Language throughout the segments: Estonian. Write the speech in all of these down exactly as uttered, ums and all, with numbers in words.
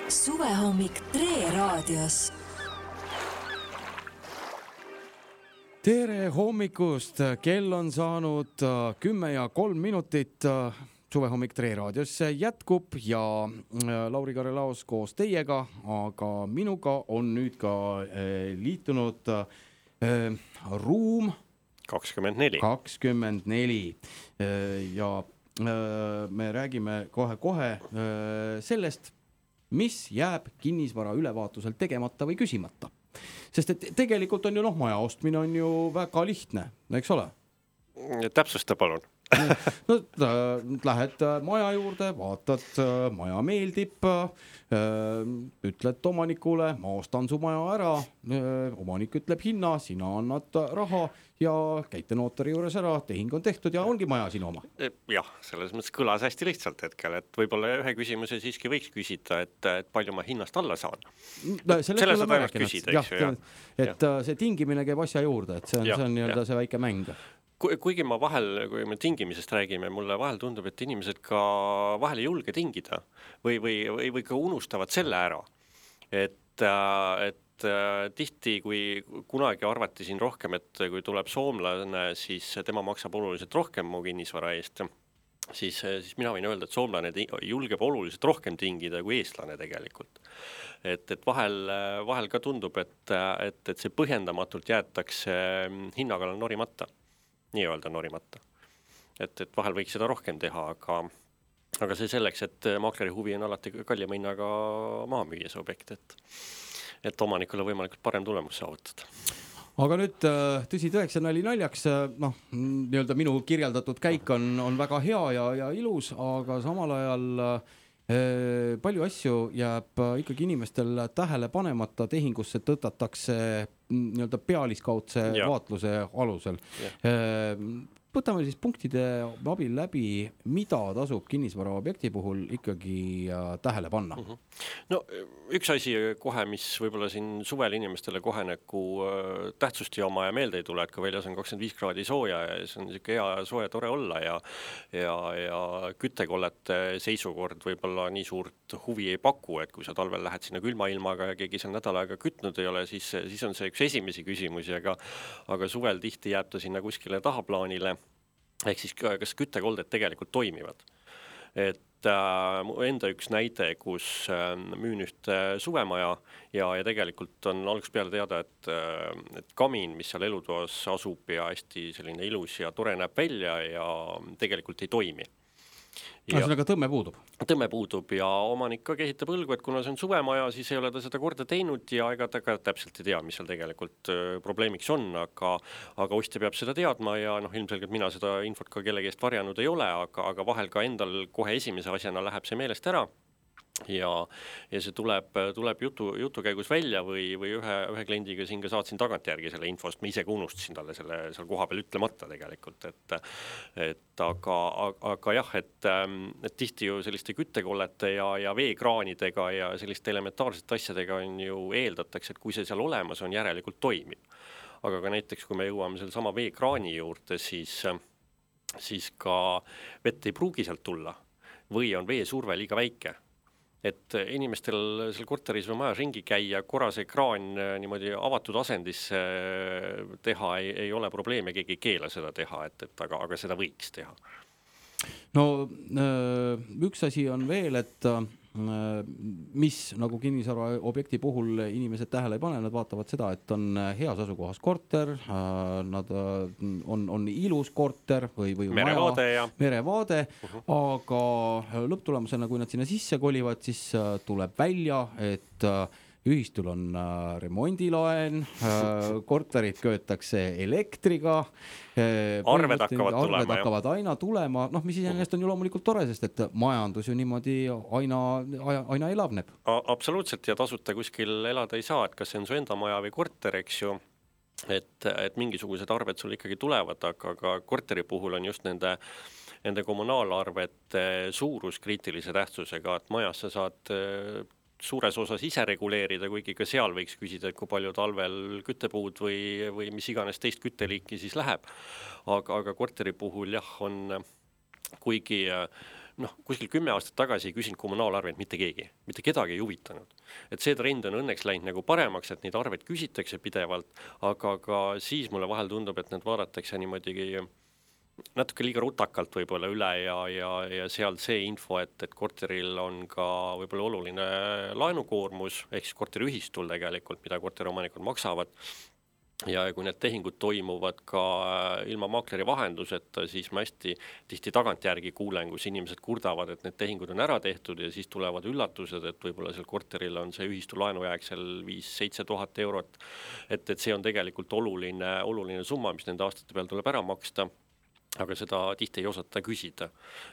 Suvehommik Tre raadios. Tere hommikust, kell on saanud kümme ja kolm minutit. Suvehommik Tre raadios jätkub ja Lauri Karelaos koos teiega, aga minuga on nüüd ka liitunud ruum kakskümmend neli. kakskümmend neli ja me räägime kohe-kohe sellest, mis jääb kinnisvara ülevaatusel tegemata või küsimata. Sest et tegelikult on ju noh, maja ostmine on ju väga lihtne, eks ole? Täpsusta palun. No, lähed maja juurde, vaatad, maja meeldib, ütled omanikule, ma ostan su maja ära, omanik ütleb hinna, sina annad raha ja käite nootari juures ära, tehing on tehtud ja ongi maja sinu oma. Jah, selles mõttes kõlas hästi lihtsalt hetkel, et võib-olla ühe küsimuse siiski võiks küsida, et, et palju ma hinnast alla saan. No, Selle saad ainult küsida, eks ju. Et see tingimine käib asja juurde, et see on, ja, see, on nii-öelda see väike mäng. Kuigi ma vahel, kui me tingimisest räägime, mulle vahel tundub, et inimesed ka vahel ei julge tingida või, või, või, või ka unustavad selle ära. Et, et tihti, kui kunagi arvati siin rohkem, et kui tuleb soomlane, siis tema maksab oluliselt rohkem mu kinnisvara eest, siis, siis mina võin öelda, et soomlane julgeb oluliselt rohkem tingida kui eestlane tegelikult. Et, et vahel, vahel ka tundub, et, et, et see põhjendamatult jäetakse hinnaga norimata. Nii öelda norimata. Et, et vahel võiks seda rohkem teha, aga, aga see selleks, et maakleri huvi on alati kallima hinnaga maha müüa see objekt, et, et omanikule võimalikult parem tulemus saavutada. Aga nüüd tõsi tõeks ja nali naljaks, noh, nii-öelda minu kirjeldatud käik on, on väga hea ja, ja ilus, aga samal ajal eh, palju asju jääb ikkagi inimestel tähele panemata, tehingusse tõtatakse nii-öelda pealiskaudse ja. vaatluse alusel. Ja. Võtame siis punktide abil läbi, mida tasub kinnisvara objekti puhul ikkagi tähele panna. Uh-huh. No üks asi kohe, mis võib-olla siin suvel inimestele kohe nagu tähtsust ja oma ja meelde ei tule, et ka väljas on kakskümmend viis kraadi sooja ja see on niisugune hea sooja tore olla ja, ja, ja küttekollete seisukord võib-olla nii suurt huvi ei paku, et kui sa talvel lähed sinna külma ilmaga ja keegi seal nädal aega kütnud ei ole, siis, siis on see üks esimesi küsimusi, aga, aga suvel tihti jääb ta sinna kuskile tahaplaanile. Ehk siis kas küttekolded tegelikult toimivad. Et äh, enda üks näide, kus äh, müün üht äh, suvemaja ja, ja tegelikult on algusest peale teada, et, äh, et kamin, mis seal elutoas asub ja hästi selline ilus ja tore näeb välja ja tegelikult ei toimi. Ja, sellega tõmme puudub. Tõmme puudub ja omanik ka kehitab õlgu, et kuna see on suvemaja, siis ei ole ta seda korda teinud ja ega ta ka täpselt ei tea, mis seal tegelikult probleemiks on, aga, aga ostja peab seda teadma ja noh, ilmselgelt mina seda infot ka kellegi eest varjanud ei ole, aga, aga vahel ka endal kohe esimese asjana läheb see meelest ära. Ja, ja see tuleb, tuleb jutu, jutu käigus välja või, või ühe, ühe kliendiga siin ka saatsin tagant järgi selle infost, ma ise ka unustasin talle selle seal koha peal ütlemata tegelikult, et, et aga, aga jah, et, et tihti ju selliste küttekollete ja, ja veekraanidega ja selliste elementaarsete asjadega on ju eeldatakse, et kui see seal olemas on, järelikult toimib. Aga ka näiteks, kui me jõuame selle sama veekraani juurde, siis, siis ka vett ei pruugi sealt tulla või on veesurve liiga väike. Et inimestel seal korteris või majas ringi käia, korra see kraan niimoodi avatud asendis teha ei, ei ole probleem ja keegi ei keela seda teha, et, et aga, aga seda võiks teha. No üks asi on veel, et mis nagu kinnisvara objekti puhul inimesed tähele ei pane, nad vaatavad seda, et on heas asukohas korter, nad on, on ilus korter või, või merevaade, maja, merevaade uh-huh. aga lõpptulemusena, kui nad sinna sisse kolivad, siis tuleb välja, et ühistul on remondilaen, korterid köötakse elektriga, arved hakkavad arved tulema, hakkavad aina tulema, noh, mis iseenesest on ju loomulikult tore, sest et majandus ju niimoodi aina, aina elavneb. Absoluutselt ja tasuta kuskil elada ei saa, et kas see on su enda maja või korter, eks ju, et, et mingisugused arved sul ikkagi tulevad, aga, aga korteri puhul on just nende nende kommunaalarvete suurus kriitilise tähtsusega, et majas sa saad suures osas ise reguleerida, kuigi ka seal võiks küsida, et kui palju talvel küttepuud või, või mis iganes teist kütteliiki siis läheb. Aga, aga korteri puhul jah, on kuigi noh, kuskil kümme aastat tagasi ei küsinud kommunaalarveid mitte keegi, mitte kedagi ei huvitanud. Et see trend on õnneks läinud nagu paremaks, et neid arveid küsitakse pidevalt, aga ka siis mulle vahel tundub, et need vaadatakse niimoodi natuke liiga rutakalt võib-olla üle ja, ja, ja seal see info, et, et korteril on ka võib-olla oluline laenukoormus, ehk siis korteriühistul tegelikult, mida korteriomanikud maksavad. Ja kui need tehingud toimuvad ka ilma maakleri vahenduseta, siis ma hästi tihti tagantjärgi kuulen, kus inimesed kurdavad, et need tehingud on ära tehtud ja siis tulevad üllatused, et võib-olla seal korteril on see ühistu laenujääk seal viis seitse tuhat eurot. Et, et see on tegelikult oluline, oluline summa, mis nende aastate peal tuleb ära maksta. Aga seda tihti ei osata küsida,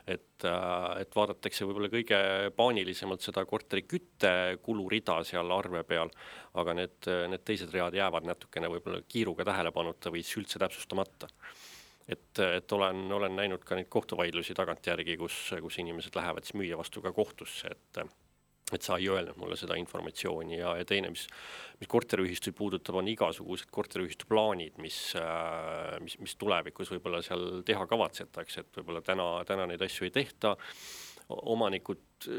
et, et vaadatakse võib-olla kõige paanilisemalt seda korteri kütte kulurida seal arve peal, aga need, need teised read jäävad natukene võib-olla kiiruga tähelepanuta või üldse täpsustamata. Et, et olen, olen näinud ka neid kohtuvaidlusi tagantjärgi, kus, kus inimesed lähevad siis müüja vastu ka kohtusse, et et sa ei öelnud mulle seda informatsiooni ja, ja teine, mis, mis korteriühistuid puudutab, on igasugused korteriühistu plaanid, mis, mis, mis tulevikus võib-olla seal teha kavatsetakse, et võib-olla täna, täna neid asju ei tehta. Omanikud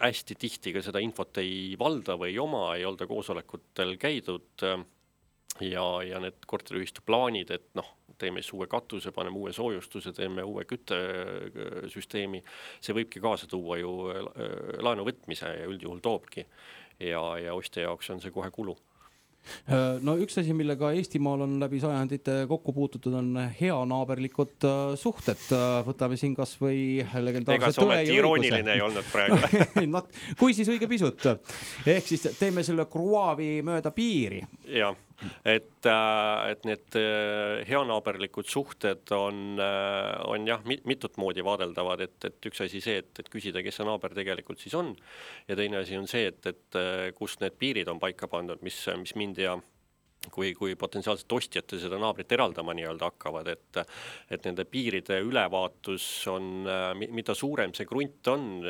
hästi tihti ka seda infot ei valda või ei oma, ei olda koosolekutel käidud ja, ja need korteriühistu plaanid, et noh, teeme siis uue katuse, paneme uue soojustuse, teeme uue küttesüsteemi, see võibki kaasa tuua ju laenu võtmise ja üldjuhul toobki ja, ja ostja jaoks on see kohe kulu. No üks asi, millega Eestimaal on läbi sajandite kokku puututud, on hea naaberlikud suhted. Võtame siin kas või legendaarse tõe ja irooniline ei olnud praegu. no, kui siis õige pisut. Ehk siis teeme selle kruaavi mööda piiri. Jah, et, et need heanaaberlikud suhted on, on jah, mitut moodi vaadeldavad, et, et üks asi see, et, et küsida, kes see naaber tegelikult siis on ja teine asi on see, et, et kus need piirid on paika pandud, mis, mis mind ja kui, kui potentsiaalselt ostjate seda naabrit eraldama nii-öelda hakkavad, et, et nende piiride ülevaatus on, mida suurem see grunt on,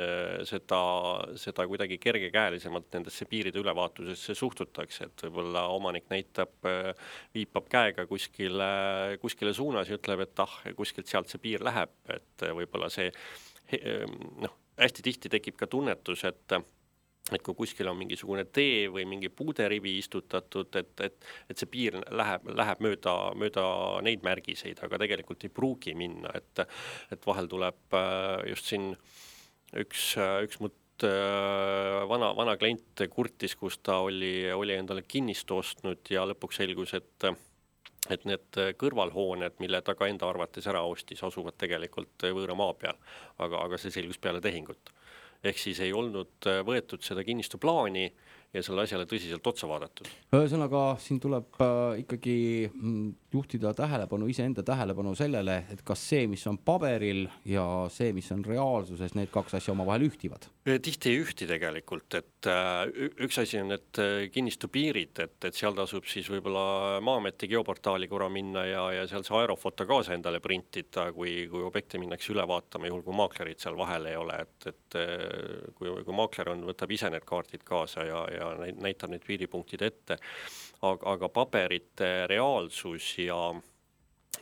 seda, seda kuidagi kergekäelisemalt nendesse piiride ülevaatusesse suhtutakse, et võib-olla omanik näitab, viipab käega kuskile, kuskile suunas ja ütleb, et ah, kuskilt sealt see piir läheb, et võib-olla see, noh, hästi tihti tekib ka tunnetus, et et kui kuskil on mingisugune tee või mingi puuderivi istutatud, et, et, et see piir läheb, läheb mööda, mööda neid märgiseid, aga tegelikult ei pruugi minna, et, et vahel tuleb just siin üks, üks mut vana, vana klient kurtis, kus ta oli, oli endale kinnistu ostnud ja lõpuks selgus, et et need kõrvalhooned, mille taga enda arvates ära ostis, asuvad tegelikult võõra maa peal, aga, aga see selgus peale tehingut. Ehk siis ei olnud võetud seda kinnistu plaani ja selle asjale tõsiselt otsa vaadatud. Ühesõnaga, siin tuleb äh, ikkagi juhtida tähelepanu, iseenda tähelepanu sellele, et kas see, mis on paberil ja see, mis on reaalsuses, need kaks asja omavahel ühtivad? Tihti ei ühti tegelikult, et äh, üks asi on need kinnistu piirid, et, et seal tasub siis võib-olla Maa-ameti geoportaali korra minna ja, ja seal see aerofoto kaasa endale printida, kui, kui objekte minnakse üle vaatama, juhul kui maaklerid seal vahel ei ole, et, et kui, kui maakler on, võtab ise need kaardid kaasa ja, ja näitab need piiripunktid ette, aga, aga paberite reaalsus ja,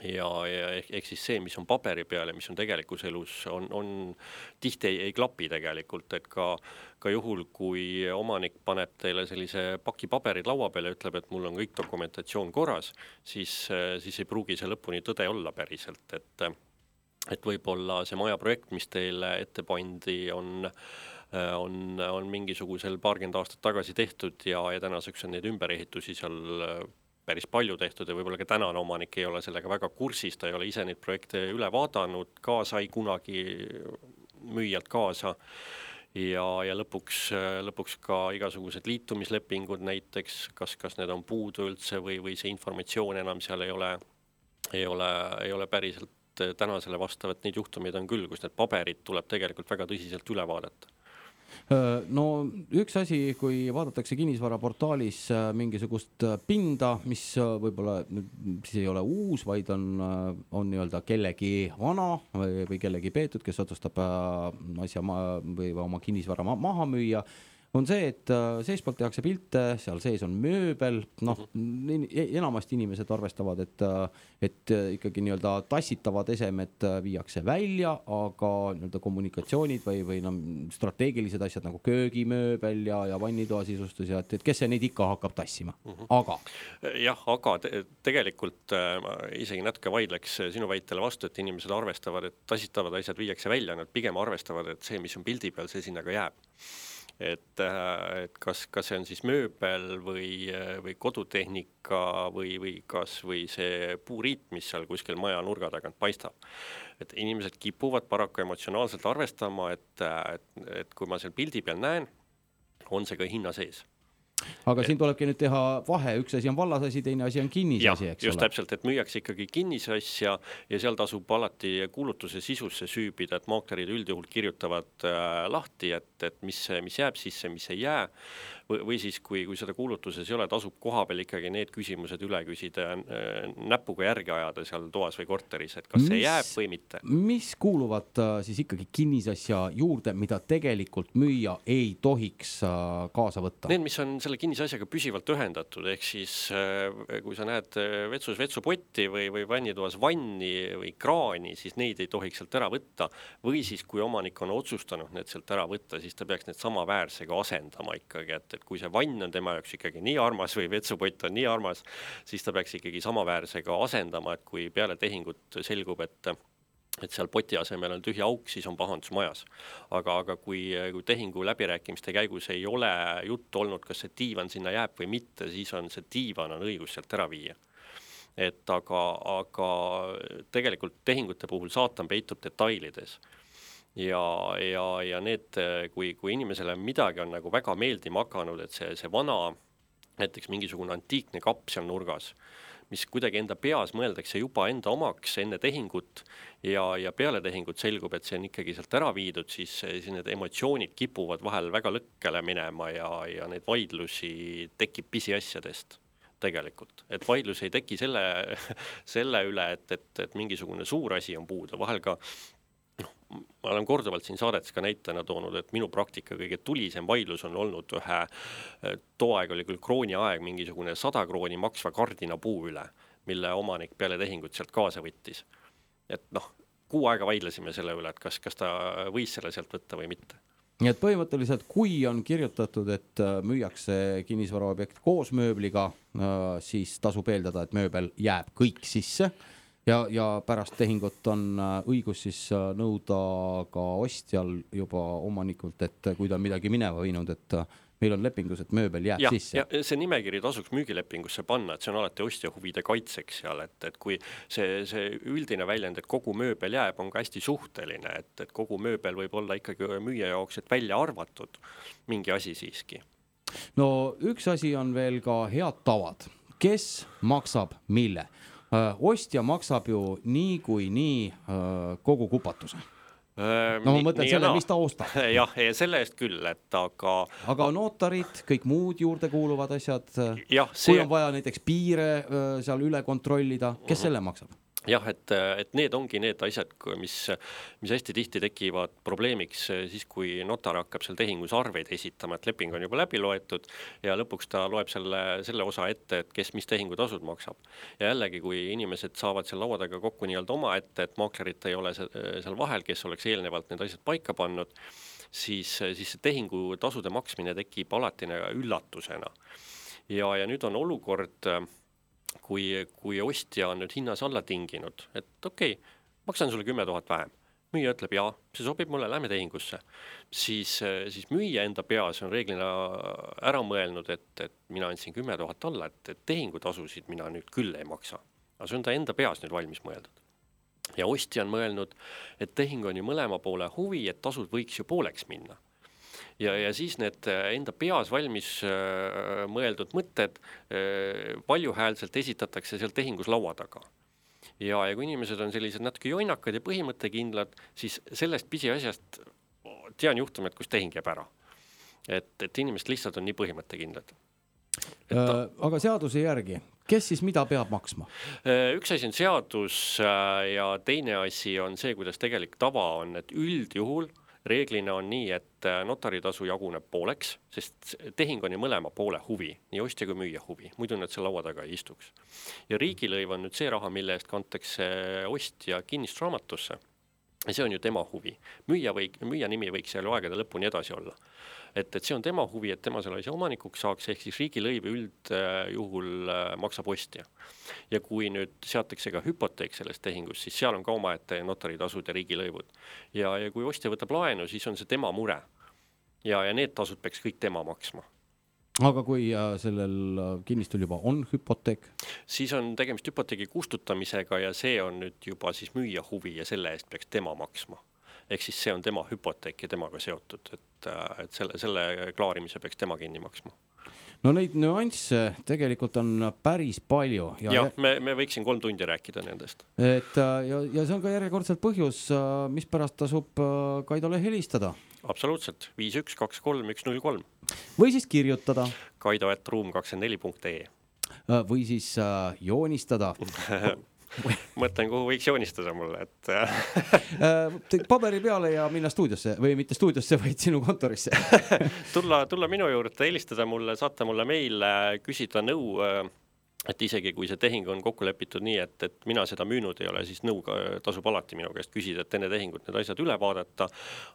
ja, ja ehk siis see, mis on paberi peal ja mis on tegelikus elus, on, on tihti ei, ei klapi tegelikult, et ka, ka juhul, kui omanik paneb teile sellise paki paberid laua peale ja ütleb, et mul on kõik dokumentatsioon korras, siis, siis ei pruugi see lõpuni tõde olla päriselt, et, et võib-olla see majaprojekt, mis teile ette pandi, on On, on mingisugusel paarkümmend aastat tagasi tehtud ja, ja tänaseks on neid ümberehitusi seal päris palju tehtud ja võib-olla ka tänane omanik ei ole sellega väga kursis, ta ei ole ise neid projekte üle vaadanud, ka sai kunagi müüjalt kaasa ja, ja lõpuks, lõpuks ka igasugused liitumislepingud näiteks, kas, kas need on puudu üldse või, või see informatsioon enam seal ei ole, ei ole, ei ole päriselt tänasele vastavat, neid juhtumeid on küll, kus need paberid tuleb tegelikult väga tõsiselt üle vaadata. No üks asi, kui vaadatakse kinnisvaraportaalis mingisugust pinda, mis võib-olla siis ei ole uus, vaid on, on nii-öelda kellegi vana või, või kellegi peetud, kes otsustab asja ma, või oma kinnisvara ma, maha müüa, on see, et seespoolt tehakse pilte, seal sees on mööbel, noh, enamasti inimesed arvestavad, et, et ikkagi nii-öelda tassitavad esemed viiakse välja, aga nii-öelda kommunikatsioonid või, või no, strateegilised asjad nagu köögimööbel ja, ja vannitoa sisustus ja et, et kes see neid ikka hakkab tassima, aga. Jah, aga te, tegelikult ma isegi natuke vaidleks sinu väitele vastu, et inimesed arvestavad, et tassitavad asjad viiakse välja, nad pigem arvestavad, et see, mis on pildi peal, see sinna ka jääb. Et, et kas, kas see on siis mööbel või, või kodutehnika või, või kas või see puuriit, mis seal kuskil maja nurga tagant paistab. Et inimesed kipuvad paraku emotsionaalselt arvestama, et, et, et kui ma seal pildi peal näen, on see ka hinna sees. Aga siin tulebki nüüd teha vahe, üks asi on vallasasi, teine asi on kinnisasi, eks just ole. Täpselt, et müüakse ikkagi kinnisasja ja seal tasub alati kuulutuse sisusse süübida, et maaklerid üldjuhul kirjutavad äh, lahti, et, et mis, mis jääb sisse, mis ei jää. Või, või siis, kui, kui seda kuulutuses ei ole, tasub koha peal ikkagi need küsimused üle küsida äh, näpuga järgi ajada seal toas või korteris, et kas mis, see jääb või mitte. Mis kuuluvad äh, siis ikkagi kinnisasja juurde, mida tegelikult müüa ei tohiks äh, kaasa võtta? Need, mis on selle kinnisasjaga püsivalt ühendatud, ehk siis kui sa näed vetsus vetsupotti või, või vannitoas vanni või kraani, siis neid ei tohiks sealt ära võtta. Või siis, kui omanik on otsustanud need sealt ära võtta, siis ta peaks need sama väärsega asendama ikkagi, et, et kui see vann on tema jaoks ikkagi nii armas või vetsupott on nii armas, siis ta peaks ikkagi sama väärsega asendama, et kui peale tehingut selgub, et et seal poti asemel on tühja auk, siis on pahandus majas. Aga, aga kui, kui tehingu läbirääkimiste käigus ei ole juttu olnud, kas see diivan sinna jääb või mitte, siis on see diivan on õigus sealt ära viia. Et aga, aga tegelikult tehingute puhul saatan peitub detailides. Ja, ja, ja need, kui, kui inimesele midagi on nagu väga meeldima hakanud, et see, see vana, näiteks mingisugune antiikne kapp seal nurgas, mis kuidagi enda peas mõeldakse juba enda omaks enne tehingut ja, ja peale tehingut selgub, et see on ikkagi sealt ära viidud, siis, siis need emotsioonid kipuvad vahel väga lõkkele minema ja, ja neid vaidlusi tekib pisiasjadest tegelikult. Et vaidlus ei teki selle, selle üle, et, et, et mingisugune suur asi on puudu. Vahel ka ma olen korduvalt siin saadetes ka näitena toonud, et minu praktika kõige tulisem vaidlus on olnud ühe, too aeg oli küll krooni aeg, mingisugune sada krooni maksva kardina puu üle, mille omanik peale tehingut sealt kaasa võttis. Et noh, kuu aega vaidlesime selle üle, et kas, kas ta võis selle sealt võtta või mitte. Nii et põhimõtteliselt, kui on kirjutatud, et müüakse kinnisvaraobjekt koos mööbliga, siis tasub eeldada, et mööbel jääb kõik sisse. Ja, ja pärast tehingut on õigus siis nõuda ka ostjal juba omanikult, et kui ta on midagi mineva viinud, et meil on lepingus, et mööbel jääb ja, sisse. Ja see nimekiri tasuks müügilepingusse panna, et see on alati ostja huvide kaitseks seal, et, et kui see, see üldine väljend, et kogu mööbel jääb, on ka hästi suhteline, et, et kogu mööbel võib olla ikkagi müüja jaoks, et välja arvatud mingi asi siiski. No üks asi on veel ka head tavad. Kes maksab mille? Ostja maksab ju nii kui nii kogu kupatuse. No ma mõtlen selle, mis ta ostab. Jah, selle eest küll, et aga... Aga notarid, kõik muud juurde kuuluvad asjad, jah, see... kui on vaja näiteks piire seal üle kontrollida, kes uh-huh. selle maksab? Jah, et, et need ongi need asjad, mis, mis hästi tihti tekivad probleemiks siis, kui notar hakkab seal tehingus arveid esitama, et leping on juba läbi loetud ja lõpuks ta loeb selle, selle osa ette, et kes mis tehingutasud maksab. Ja jällegi, kui inimesed saavad seal lauadaga kokku nii-öelda oma ette, et maaklerit ei ole seal vahel, kes oleks eelnevalt need asjad paika pannud, siis, siis see tehingutasude maksmine tekib alati üllatusena. Ja, ja nüüd on olukord... Kui, kui ostja on nüüd hinnas alla tinginud, et okei, okay, maksan sulle kümme tuhat vähem. Müüja ütleb, jaa, see sobib mulle, lähme tehingusse. Siis, siis müüja enda peas on reeglina ära mõelnud, et, et mina andsin kümme tuhat alla, et, et tehingutasusid mina nüüd küll ei maksa. Aga see on ta enda peas nüüd valmis mõeldud. Ja ostja on mõelnud, et tehing on ju mõlema poole huvi, et tasud võiks ju pooleks minna. Ja, ja siis need enda peas valmis äh, mõeldud mõtted äh, valjuhäälselt esitatakse seal tehingus laua taga. Ja, ja kui inimesed on sellised natuke joinakad ja põhimõttekindlad, siis sellest pisiasjast tean juhtumet, kus tehing jääb ära. Et, et inimesed lihtsalt on nii põhimõttekindlad. Ta... Äh, aga seaduse järgi, kes siis mida peab maksma? Äh, üks asi on seadus äh, ja teine asi on see, kuidas tegelik tava on, et üldjuhul reeglina on nii, et notaritasu jaguneb pooleks, sest tehing on ju mõlema poole huvi, nii ostja kui müüja huvi, muidu nad seal laua taga ei istuks. Ja riigilõiv on nüüd see raha, mille eest kantakse ostja kinnistusraamatusse. Ja see on ju tema huvi. Müüja, või, müüja nimi võiks seal aegade lõpuni edasi olla. Et, et see on tema huvi, et tema selle asja omanikuks saaks, ehk siis riigilõiv üldjuhul maksab ostja. Ja kui nüüd seatakse ka hüpoteek selles tehingus, siis seal on ka omaette notaritasud ja riigilõivud. Ja, ja kui ostja võtab laenu, siis on see tema mure. Ja, ja need tasud peaks kõik tema maksma. Aga kui sellel kinnistul juba on hüpoteek? Siis on tegemist hüpoteegi kustutamisega ja see on nüüd juba siis müüja huvi ja selle eest peaks tema maksma. Ehk siis see on tema hüpoteek ja temaga seotud, et, et selle, selle klaarimise peaks tema kinni maksma. No neid nüansse tegelikult on päris palju. Ja, ja me, me võiksin kolm tundi rääkida nendest. Et, ja, ja see on ka järjekordselt põhjus, mis pärast tasub Kaidole helistada. Absoluutselt, viis üks kaks kolm üks null kolm. Või siis kirjutada. Kaido at ruum kakskümmend neli punkt ee. Või siis äh, joonistada. Mõtlen, kuhu võiks joonistada mulle, et paberi peale ja minna stuudiosse või mitte stuudiosse, vaid sinu kontorisse. tulla, tulla minu juurde, helistada mulle, saata mulle meil, küsida nõu, et isegi kui see tehing on kokku lepitud nii, et, et mina seda müünud ei ole, siis nõu tasub alati minu käest küsida, et enne tehingut need asjad üle vaadata,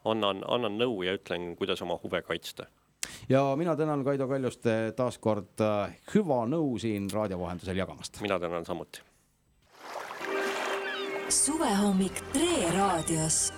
annan, annan nõu ja ütlen, kuidas oma huve kaitsta. Ja mina tänan Kaido Kaljuste taas kord hüva nõu siin raadiovahendusel jagamast. Mina tänan samuti. Suvehommik Tre raadios.